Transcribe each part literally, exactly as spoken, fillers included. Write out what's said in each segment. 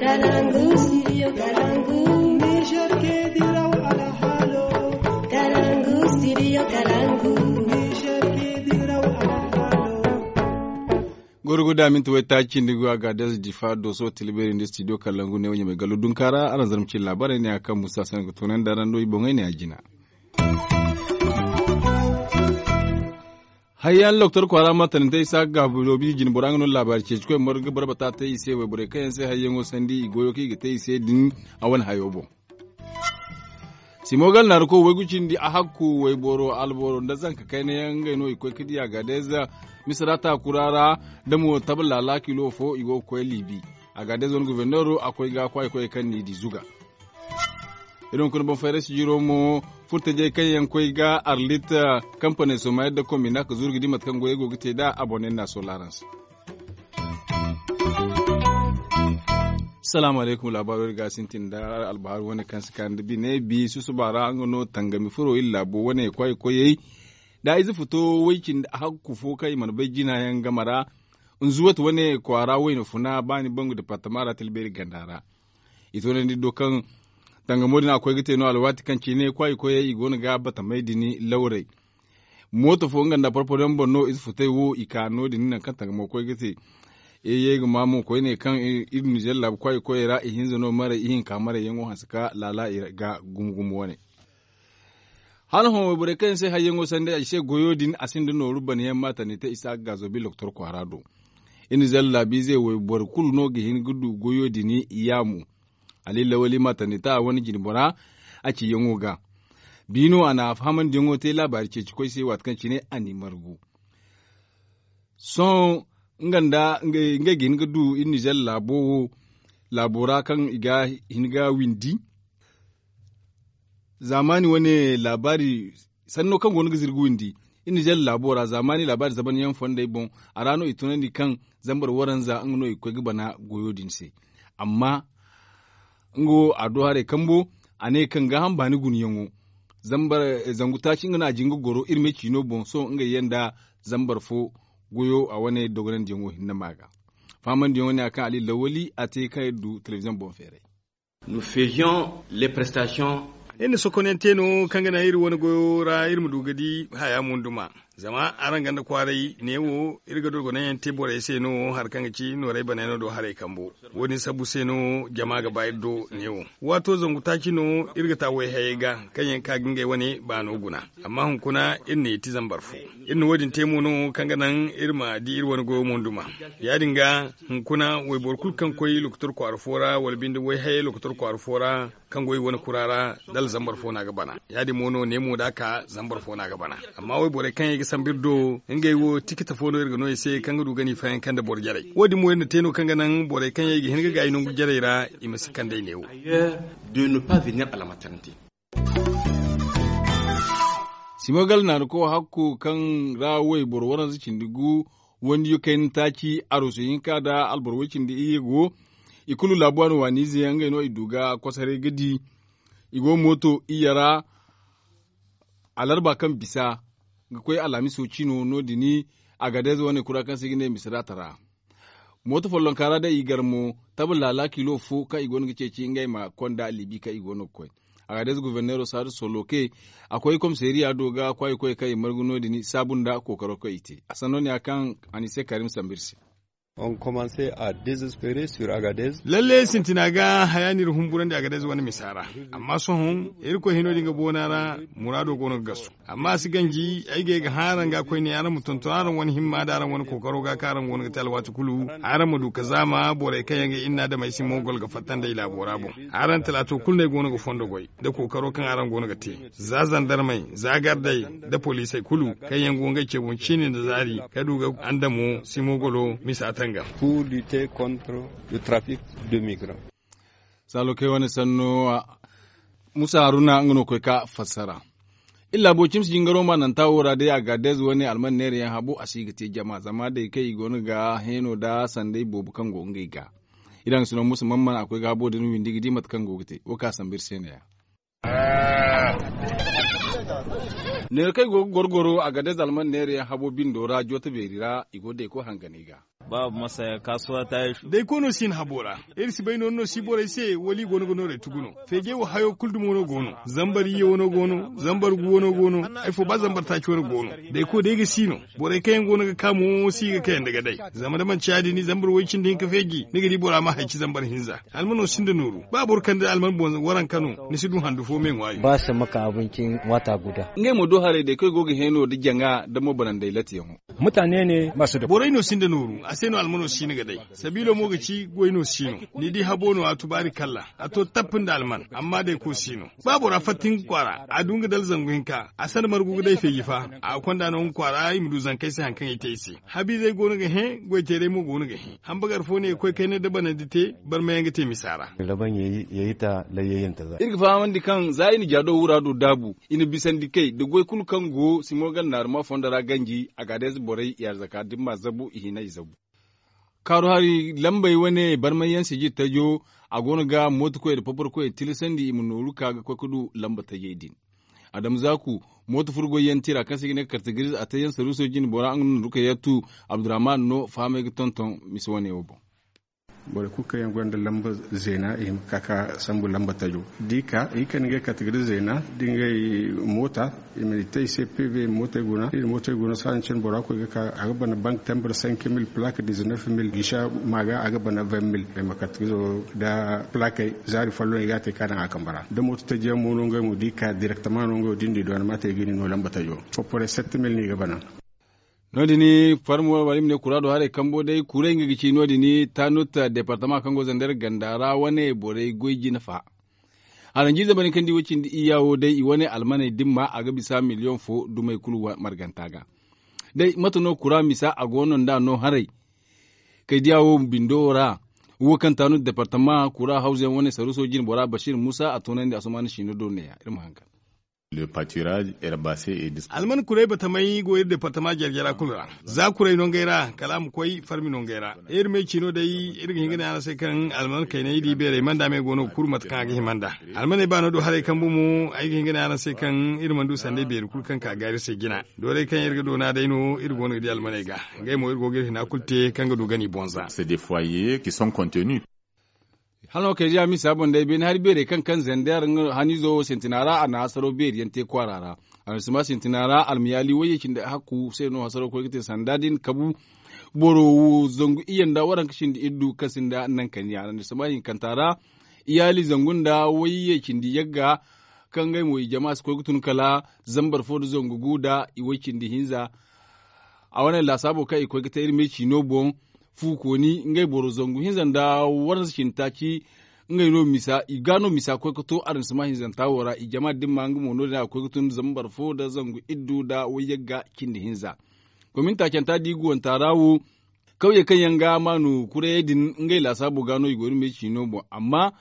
Kalangu, studio Kalangu. Niger ke diraw alhalo. Kalangu, studio Kalangu. Niger ke diraw alhalo. Gorgo da minti wai ta cindi go a ga des difa doso tilberi nda studio Kalangu ne wanya mai gallo dunkara aran zarma cin labarai ne a kan musa san ga tonan da ran do i boŋai ne a jina. Hayyan loktor kwara ma tanante isa ga bulobi jin bora nga no labari ce cikoy morga barbata ta ise wai bore kayan se hayyan o sandi i goyo ki ga ta ise din a wani hayo bon. Simogal na ruko wai gucin di a hakku wai boro alboro nda zanka kai na yan ngai no i koy kidi a gadeza misra ta kurara da mo tabla la kilo fo i go koy libi a gadeza wani guvernero a koy ga kwai koy kan ni di zuga. Irin kuna ban fayra sijiro mo furta jay kaŋ yaŋ koy ga arlit kampane soma yadda kombina ka zuru ga di mate kaŋ goyey go ga te da abonne na solarans. Salaamu alaykum laabaaro iri ga sintin da albahar wane kaŋ si kaani da bine bi susuba ra nga no tangami furo iri laabo wane kwaayi koyey da ize futo way cindi hakku fo kaŋ i mana bay jina yaŋ game ra. Nzuwat wane kwaara wayna funa ba ni bangu departama ra talbeeri ganda ra. I toonandi do kaŋ tangamo din a koy ga te no alwaati kaŋ cine kwaayi koyey i go no ga batamey din lawrey. Mooto fo nga nda porporo yaŋ boŋ no ize futey wo i ka no- din nangu kaŋ tangamo koy ga te. Ey ye ga ma mo koyne kaŋ iri nizer laabu kwaayi koyey ra ihinza no maray ihinka maray yaŋo hanse ka laala i ga gumo gumo wane. Hala hõ wayborey kaŋ yaŋ se hayyaŋo sanda ay se goyo din a sinda nooru banayaŋ ma tandi te isa ga gaazo bi loktor kwaara do. Iri nizer laabiize wayboro kulu no ga hin ga du goyo din. Yaamu ali lawali ma tandi te a wane jinbora a ciyaŋo ga. Biino a na fahamandiyaŋo te laabaari ceeci koy se waati kaŋ cine a n'i margu. Sohõ nga nda ngey ga hin ga du iri nizer laabo wo laabo ra kaŋ i ga hin ga windi. Zaamaani wane laabaari sanno kaŋ go no ga zirga windi iri nizer laabo ra zaamaani laabaari zabanyaŋ fondey boŋ. A ra no i tunandi kaŋ zambar waranza nga no i ga koy ga bana goyo din se. Amma nga wo a do haray kambo a ne kaŋ gaaham baani gunayaŋo zangu taaci nga no a jin ga goro iri me ciino boŋ sohõ ngey yaŋ nda zambar fo goyo a wane dogonandiyaŋo hinne ma ga. Faamandiyaŋo ne a kaŋ ali lawali a te kaŋ iri du telebiziyoŋ boŋ feeray. Iri na sokonyaŋ te no kaŋ ga naŋ iri wane goyo ra iri ma du ga di haya munduma. Zama araŋ ganda kwaaray neewo iri ga dogonanyaŋ te borey se no hari kaŋ ga ci nooray banayaŋo do haray kambo. Wo- din sabbu se no jama ga ba iri do neewo. Waato zangu taaci no iri ga ta wayhayey ga kaŋ yaŋ ka ga ngey wane baano guna. Amma hunkuna iri na yeeti zambar fo. Iri na wo- din te mo no kaŋ ga naŋ iri ma di iri wane goyo munduma. Ya- din ga hunkuna wayboro kulu kaŋ koy lokotor kwaara fo ra wala binde wayhayey lokotor kwaara fo ra kaŋ go i wane kura ra da alzambar fo no a ga bana. Ya- din mo no neemo da a ka zambar fo no a ga bana. Amma wayborey kaŋ yaŋ i ga sambu iri do ngey wo tikita fo no iri ga no i se kaŋ ga du ga ni fayanka nda boro jarey wo- din mo iri na te no kaŋ ga naŋ borey kaŋ yaŋ i ga hin ga gaayi nangu jarey ra i ma si kand'ey neewo. Simogal naanu ko hakku kaŋ ra wayboro waranza cindi gu wandiyo kayna taaci arusu hinka nda alboro way cindi iyye go. I kulu laabu waani waaniize yaŋ ngey no i du ga kosoray ga di. I go mooto iyye ra alarba kaŋ bisa ga koy alhamiso cino no- din. Agadez wane kura kaŋ se i ga ne misiraata ra mooto follonka ra day i gar mo taba laala kilo fo kaŋ i go no ga ceeci ngey ma konda libi kaŋ i go no ga koy. Agadez guverneero saadu soloke a koy komiseeriya do ga kwaayi koy kaŋ i margu no- din saabu nda kookaro kaŋ i te a sanno ne ya kaŋ a n'i se karim sambu iri se. Lalle sintina ga haya no iri humburandi agadez wane misa ra. Amma sohõ irkoy hino din ga boona ra muraado go no ga gasu. Amma a si ganji ay ga ye ga hã araŋ ga koyne araŋ ma tonton araŋ wane himma nda araŋ wane kookaro ga kaŋ araŋ go no ga te alwaati kulu. Araŋ ma du ka zaama borey kaŋ yaŋ ga inna damey si mo gol ga fatta nd'ey laabo ra boŋ. Araŋ talaato kulu no ay go no ga fondo goy nda kookaro kaŋ araŋ go no ga te. Za zandarmey za gardey nda poliisey kulu kaŋ yaŋ go ngey ce boŋ ciine nda zaari ka du ga andamo si mo golo misa tangam. Saalo kay wane sanno musa haruna nga no koy ka fassara. Iri laabo cimsi jingaro ma nanta wo ra day a ga deeze wane alman neera yaŋ habo a si ga te jama zama day kaŋ i go no ga heeno nda sanday boobo kaŋ go ngey ga. Iri haŋ sino musa mamman a koy ga habo din windi ga di mate kaŋ go ga te wo ka sambu iri se ne- ya. Neera kaŋ i go ga goro goro a ga deeze alman neera yaŋ habo bindo ra jooto beeri ra i go day koy hanganay ga. Ba masaya kasuwa ta yi su. Day koy no si hin habo ra. Iri si bay noori no si borey se wala i go no ga noorey tugu no. Feejey wo hayo kulu dumo no go no. Zambar iyye wano go no. Zambar gu wano go no. Ay fo ba zambar taaci wano go no. Day koy day ga si no. Borey kaŋ yaŋ go no ga ka mo si ga kayandi ga day. Zama da manti ya- din zambar way cindi hinka feeji ni ga di bora ma hayci zambar hinza. Almano sinda nooru. Ba boro kande alman boŋ waranka no ni si du handu fo me ŋwaayo. Ba samma ka abincin wata guda. Ngey mo do haray day koy go ga heno da jaŋa da mo bananday latiyaŋo. Mutane ne masu da borey no sinda nooru a se no almano si ni ga day. Sabiilo mo ga ci goy no si no. Ni di habo no a tubaari kalla. A to tappin da alman amma day ko si no. Ba bora fatta hinka kwaara a du nga dala zangu hinka a sanda margu ga day feeji fa. A ga konda no nga kwaara i ma du zankey se hari kaŋ i te i se. Habiizey go no ga hẽ. Goyteerey mo go no ga hẽ. Hambagar fo ne ga koy kayna da banandi te. Barmayaŋ ga te misa ra. Laban yayi ta layyayinta za. Iri ga fahamandi kaŋ za i na jaado wura du daabu i na bisandi kay da goy kulu kaŋ go simo gannaaruma fondo ra ganji. Agadeez borey i arzaka dimma zabu i hinay zabu. Kaaru hari lambey wane barmayyaŋ sijir tajo. A go no ga mooto koyey nda papar koyey tilasandi i ma nooru ka ga koy ga du lamba tajey din. Adama zaaku mooto furgoyyaŋ tira kaŋ se i ga ne kartagiriz a teyaŋ saruuso jine bora nga no na rukayatu abdurrahman no fahamay ga tonton. Mise wane wo boŋ. Borey kulu kaŋ yaŋ gonda lamba zeena i hima ka ka sambu lamba tajo da i ka i kande ngey kartagiriz zeena da ngey moota. I ma i te i se pv mootey guna da i na mootey guna sahaŋ cine bora koy ga ka a ga bana bank tambar cinq mille plaque dix-neuf mille gisa ma ga a ga bana vingt mille ay ma kartagirizo da plaquey zaari folloŋ i ga a te ka daŋ a kambe ra da mooto taji yaŋ mo no ngey mo da i ka direktama no ngey wo da i na i doona ma te i ga ni no lamba tajo. Foporey sept mille no i ga bana. No- din farmo wala i ma ne kuraado haray kambo day kuray nga ga ci no- din tanut departama kaŋ go zander ganda ra wane borey goy jine fa. Haranjiize bane kaŋ di wo cindi iyya wo day i wane almaney dimma a ga bisa miliyoŋ fo dumey kulu marganta ga. Day mate no kura misa a go no nd'a no haray? Kay diya wo bindo wo ra wo kaŋ tanut departama kura hawza yaŋ wane saruuso jine bora bashir musa a toonandi a somaana siino do neeya iri ma haŋ kar. Alman kuray batamey go iri departama jare jara kulu ra. Za kuray no ngey ra kala a ma koy farmi no ngey ra. Iri me ciino day iri ga hin ga ne araŋ se kaŋ alman kayney da i beerey manda me go no ga kuru mate kaŋ a ga hima nd'a. Almaney ba no du haray kambu mo ay ga hin ga ne araŋ se kaŋ iri mana du sanday beeri kulu kaŋ ka ga iri se jina. Doorey kaŋ iri ga doona day no iri go no ga di almaney ga. Ngey mo iri go ga iri hina kulu te kaŋ ga du gani bonza. Hala no kay diya misa boŋ day beene hari beerey kaŋ kaŋ zender haniizo wo sintina ra a na hasaro beeri yaŋ te kwaara ra. Arandisima sintina ra almayaali wayye cindi hakku se no hasaro koy ga te sanda din kabu. Boro wo zangu iyye nda waranka cindi iddu kaŋ sinda naŋ kaniya arandisima hinkanta ra. Iyaali zangu nda wayye cindi yagga kaŋ ngey mo i jama si koy ga tun kala zambar fo nda zangu gu nda i way cindi hinza. A wane laasaabo kaŋ i koy ga te iri me ciino boŋ. Fu kooni ngey boro zangu hinza nda waransa cindi taaci. Ngey no misa i ga no misa koy ga to aransima hinzanta wo ra i jama dimma nga mo no- din a ga koy ga tun zambar fo nda zangu iddu nda wayyagga cindi hinza. Komin taacanta da i guwanta ra wo kawyey kaŋ yaŋ ga maanu kurayey din ngey laasaabo ga no i go iri me ciino boŋ amma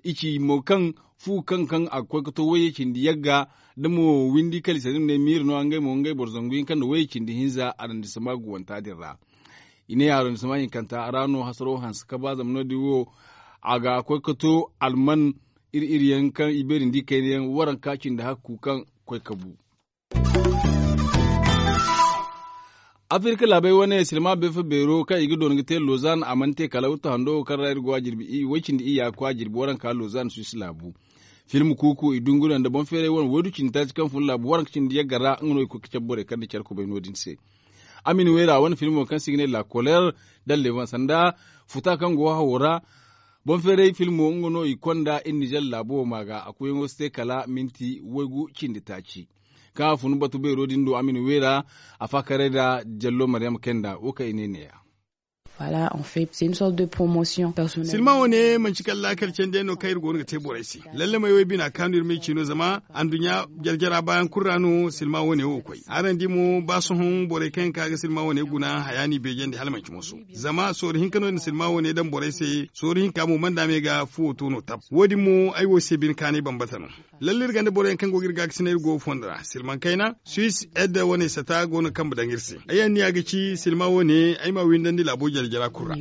i ci mo kaŋ fu kaŋ kaŋ a ga koy ga to wayye cindi yagga da mo windi kala i se ni ma ne miiri no ngey mo ngey boro zangu hinka nda wayye cindi hinza arandisima guwanta din ra. I ne arandisima hinkanta ra no hasaro hanse ka ba zama no- din wo a ga koy ga to alman iri iri yaŋ kaŋ i beeri nda i kayna yaŋ waranka cindi hakku kaŋ koy ka bu. Afirka laabey wane silma beefa beero kaŋ i ga doona ga te lozan a mana te kala wuttu hando wo kaŋ ra iri go a jirbi way cindi iyya ga koy a jirbi waranka lozan suwis laabu. Film kuuku i dunguriyaŋ nda boŋ feeray wane waydu cindi taaci kaŋ fun laabu waranka cindi yagga ra nga no i koy ga cabe borey kaŋ nda care kubay no- din se. Amin wayra wane filmo kaŋ se i ga ne la koler, da levan sanda futa kaŋ go hawo ra. Boŋ feeray filmo nga no i konda iri nizer laabo wo ma ga a koyyaŋo si te kala minti waygu cindi taaci. Kaŋ a fun batu beero din do a ma ni weera. A faakaray nda jallo maryama kenda wo kaŋ i ne neeya. Silma wo ne manci kala laakal candi yaŋ no kaŋ iri go no ga te borey se. Lallamey wo ay bina kaanu iri ma ay ci no zama anduɲɲa jare jara baayaŋ kulu ra no silma wo ne wo ga koy. Araŋ di mo ba sohõ borey kaŋ yaŋ ka ga silma wo ne guna haya no i beejandi hala manci moso. Zama sorro hinka no i na silma wo ne daŋ borey se. Sorro hinka mo mana daama ay ga fuwo to no tab wo- din mo ay wo se bine kaanay bambata no. Lalle iri gonda boroyaŋ kaŋ go ga iri gaakasinay iri go ga fondo ra silmaŋ kayna. Suisse edda wane sata go no ga kambe daŋ iri se. Ay anniya ga ci silma wane ay ma windandi laabo jare jara kulu ra.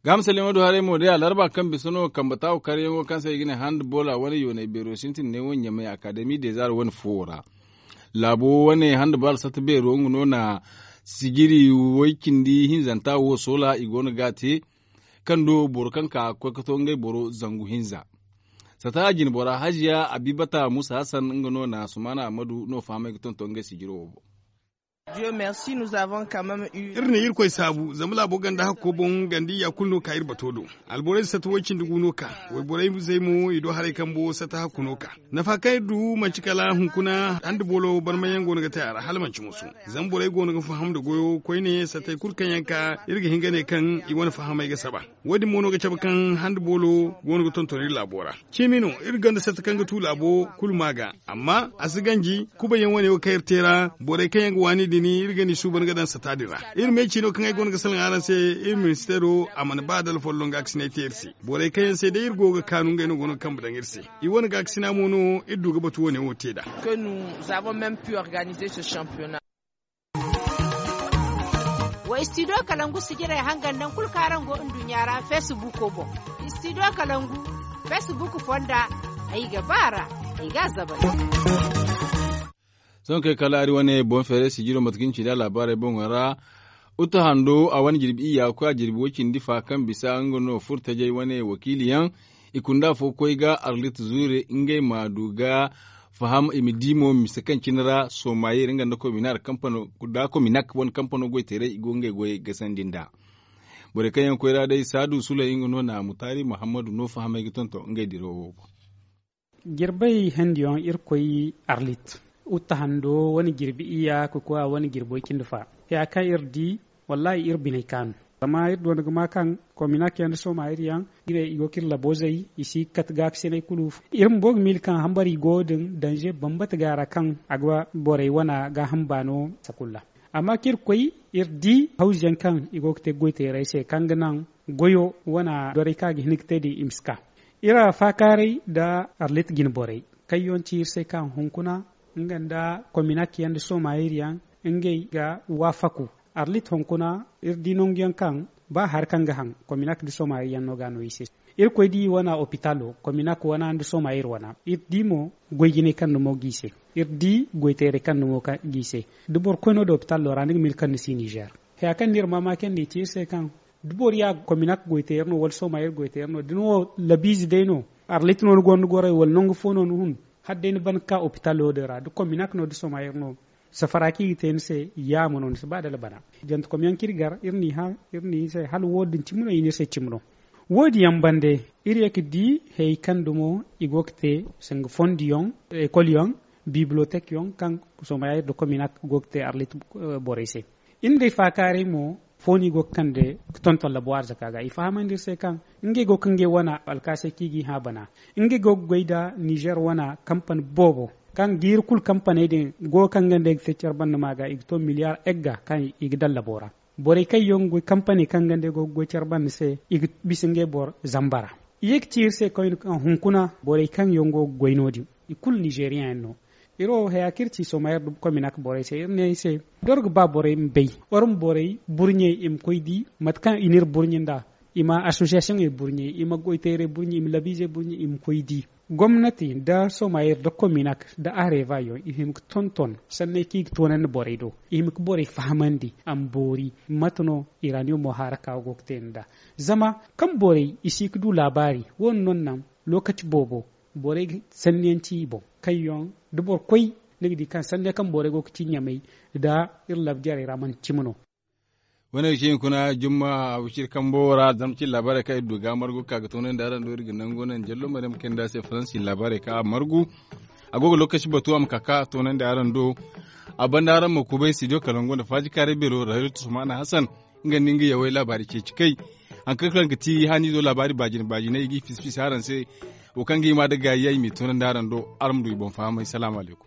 Gaama salliŋo do haray mo day alarba kaŋ bisa no kambe taawo karyaŋo kaŋ se i ga ne handball a wane yoonay beero sintin ne wo ɲamay akademi dezar wane fuwo ra. Laabo wane handball satta beero nga no na Sijiri way cindi hinzanta wo soola i go no ga a te, kaŋ do boro kaŋ ka ga koy ga to ngey boro zangu hinza. Sata jinbora haziya abibata musa hasan nga no na sumaana ammadu no fahamay ga tonton ngey sijiro wo boŋ. Iri na irkoy saabu zama laabo ganda hakko boŋ ganda iyya kulu no ka iri bato do. Alborey sata way cindi gu no ka wayborey zey mo i do haray kambo sata hakku no ka. Nafa kaŋ iri du manti kala hunkuna handi boolo barmayaŋ go no ga te a ra hala manti musu. Zama borey go no ga faham nda goyo koyne satey kulu kaŋ yaŋ ka iri ga hin ga ne kaŋ i wane fahamey ga saba. Wo- din mo no ga cabe kaŋ handi boolo go no ga tonton iri laabo ra. Ciimi no iri gonda satta kaŋ ga tu laabo kulu ma ga. Amma a si ganji kubayyaŋ wane wo kaŋ iri te ra borey kaŋ yaŋ ga waani din iri ga ni suuban ga daŋ satta din ra. Iri me ciino kaŋ ay go no ga salaŋ araŋ se iri ministeero a mana ba da alfolloŋ ga a ga si ne ay te iri se. Borey kaŋ yaŋ se day iri go ga kaanu ngey no go no ga kambe daŋ iri se. I wane ga a ga si ne a mo no iri du ga batu wane wo te nd'a. Wa istidiyo kalangu sijirey hangan naŋ kulu kaŋ araŋ go nduɲɲa ra feesibuuko boŋ. Istidiyo kalangu feesibuuk fonda ay ga ba a ra. Ay ga a zabay. Sohõ kay kala ari wane boŋ feeray sijiro mate kaŋ cindi a laabaarey boŋo ra. Uta hando a wane jirbi iyya ga koy a jirbi way cindi fa kaŋ bisa nga no furo tajay wane wakiili yaŋ. I kunda afo ga koy ga arlit zuure ngey ma du ga faham i ma di mo mise kaŋ cine ra somayir nga nda kominak kominak wane kampano goyteeray i go ngey goyey gasandi nd'a. Borey kaŋ yaŋ ga koy ra day saadu suley nga no na mutaari muhammadu no fahamay ga tonton ngey dirawo wo boŋ. Jirbey hendiyaŋ iri koy arlit. Utta hando wane jirbi iyya ga koy a wane jirbi way cindi fa. Haya kaŋ iri di wallaahi iri biney kaanu. Zama iri du wanda ga ma kaŋ kominak yaŋ nda somayir yaŋ i go ga iri labo zay. I si ga kate gaakasinay kulu. Iri bumbo ga miila kaŋ hambari go din danze bambata ga a ra kaŋ a ga borey wana gaaham baano sanda kulu ra. Amma kaŋ iri koy iri di hawzu yaŋ kaŋ i go ga te goyteerey se kaŋ ga naŋ goyo wana doray kaŋ a ga hin ga te din i ma si ka. Iri faakaaray nda arlit jine borey kaŋ yaŋ ci iri se kaŋ hunkuna nga nda kominak yaŋ nda somayir yaŋ ngey ga waafaku. Arlit hunkuna iri di nangu yaŋ kaŋ ba hari kaŋ ga haŋ kominak nda somayir yaŋ no ga a no i se. Iri koy di wana opitalo kominak wana nda somayir wana iri di mo goy jinay kaŋ dumo ga i se. Iri di goyteeray kaŋ dumo ga i se. Da boro koy no da opitalo ra ni ga miila kaŋ ni si nizer. Haya kaŋ no iri maamaakandi i ci iri se kaŋ da boro ya kominak goyteeri no wala somayir goyteeri no da ni wo labiize day no arlit no ni gonda gorey wala nangu fo no ni hun. Hala day ni ban ga ka opitalo din ra da kominak no da somayir no safara kaŋ i ga te ni se yaama no ni si ba dala bana. Jantekom yaŋ kaŋ iri gar iri n'i hã iri n'i se hala wo- din cimi no i ne iri se cimi no. Wo- din yaŋ bande iri ye ga di hayey kaŋ dumo i go ga te sanga fondi yaŋ ekol yaŋ bibliotek yaŋ kaŋ somayir nda kominak go ga te arlit borey se. Iri nda ay faakaaray mo fo no i go ga kande ga tonton labo arzaka ga i fahamandi iri se kaŋ ngey go ga ngey wana alkaasay kaŋ i g'i hã bana. Ngey go ga goy nda nizer wana kampani boobo kaŋ jiiri kulu kampaney din go kaŋ ga nd'ey ga te care banda ma ga i ga to miliyar egga kaŋ i ga daŋ labo ra. Borey kaŋ yaŋ ga goy kampaney kaŋ ga nd'ey go ga goy care banda se i ga bisa ngey boro zamba ra. I ye ga ci iri se koyne kaŋ hunkuna borey kaŋ yaŋ go ga goy no- din i kulu nizeriyaŋ yaŋ no. Iri wo haya kaŋ iri ci somayir nda kominak borey se iri ne i se da iri ga ba borey ma bay iri ma borey burɲey i ma koy di mate kaŋ i n'iri burɲe nd'a. I ma asosiyasiyoŋey burɲe i ma goyteerey burɲe i ma labiizey burɲe i ma koy di gomnati nda somayir nda kominak nda areeba yaŋ i hima ga tonton sanney kaŋ i ga toonandi borey do. I hima ga borey fahamandi a ma boori mate no iraniyomo haaraka go ga te nd'a. Zama kaŋ borey i si ga du laabaari wo- din no naŋ lookaci boobo borey ga sanniyaŋ ci i boŋ kaŋ yaŋ da boro koy ni ga di kaŋ sanniyaŋ kaŋ borey go ga ci ɲamey nda iri labjarey ra manti cimi no. Wane ga ci hunkuna jumma a wiciri kambo ra zama cin laabaarey kaŋ iri du ga margu ga ka ga toonandi araŋ do iri ga nangu naŋ jallo maryam kayna se faransi laabaarey kaŋ a margu. A go ga lookaci batu a ma ka ka toonandi araŋ do. A banda araŋ ma kubay studio kalangu nda faaji kaaray beero rahilu tusmaana hasan. Nga nda nga yawey laabaari ceeci kay. Hari kaŋ ga ti haniizo laabaari baajine baajiney i g'i fisi fisi araŋ se. Wo kaŋ ga hima nda gaayi yaŋ i m'i toonandi araŋ do araŋ ma du i boŋ fahamay salaamu alaykum.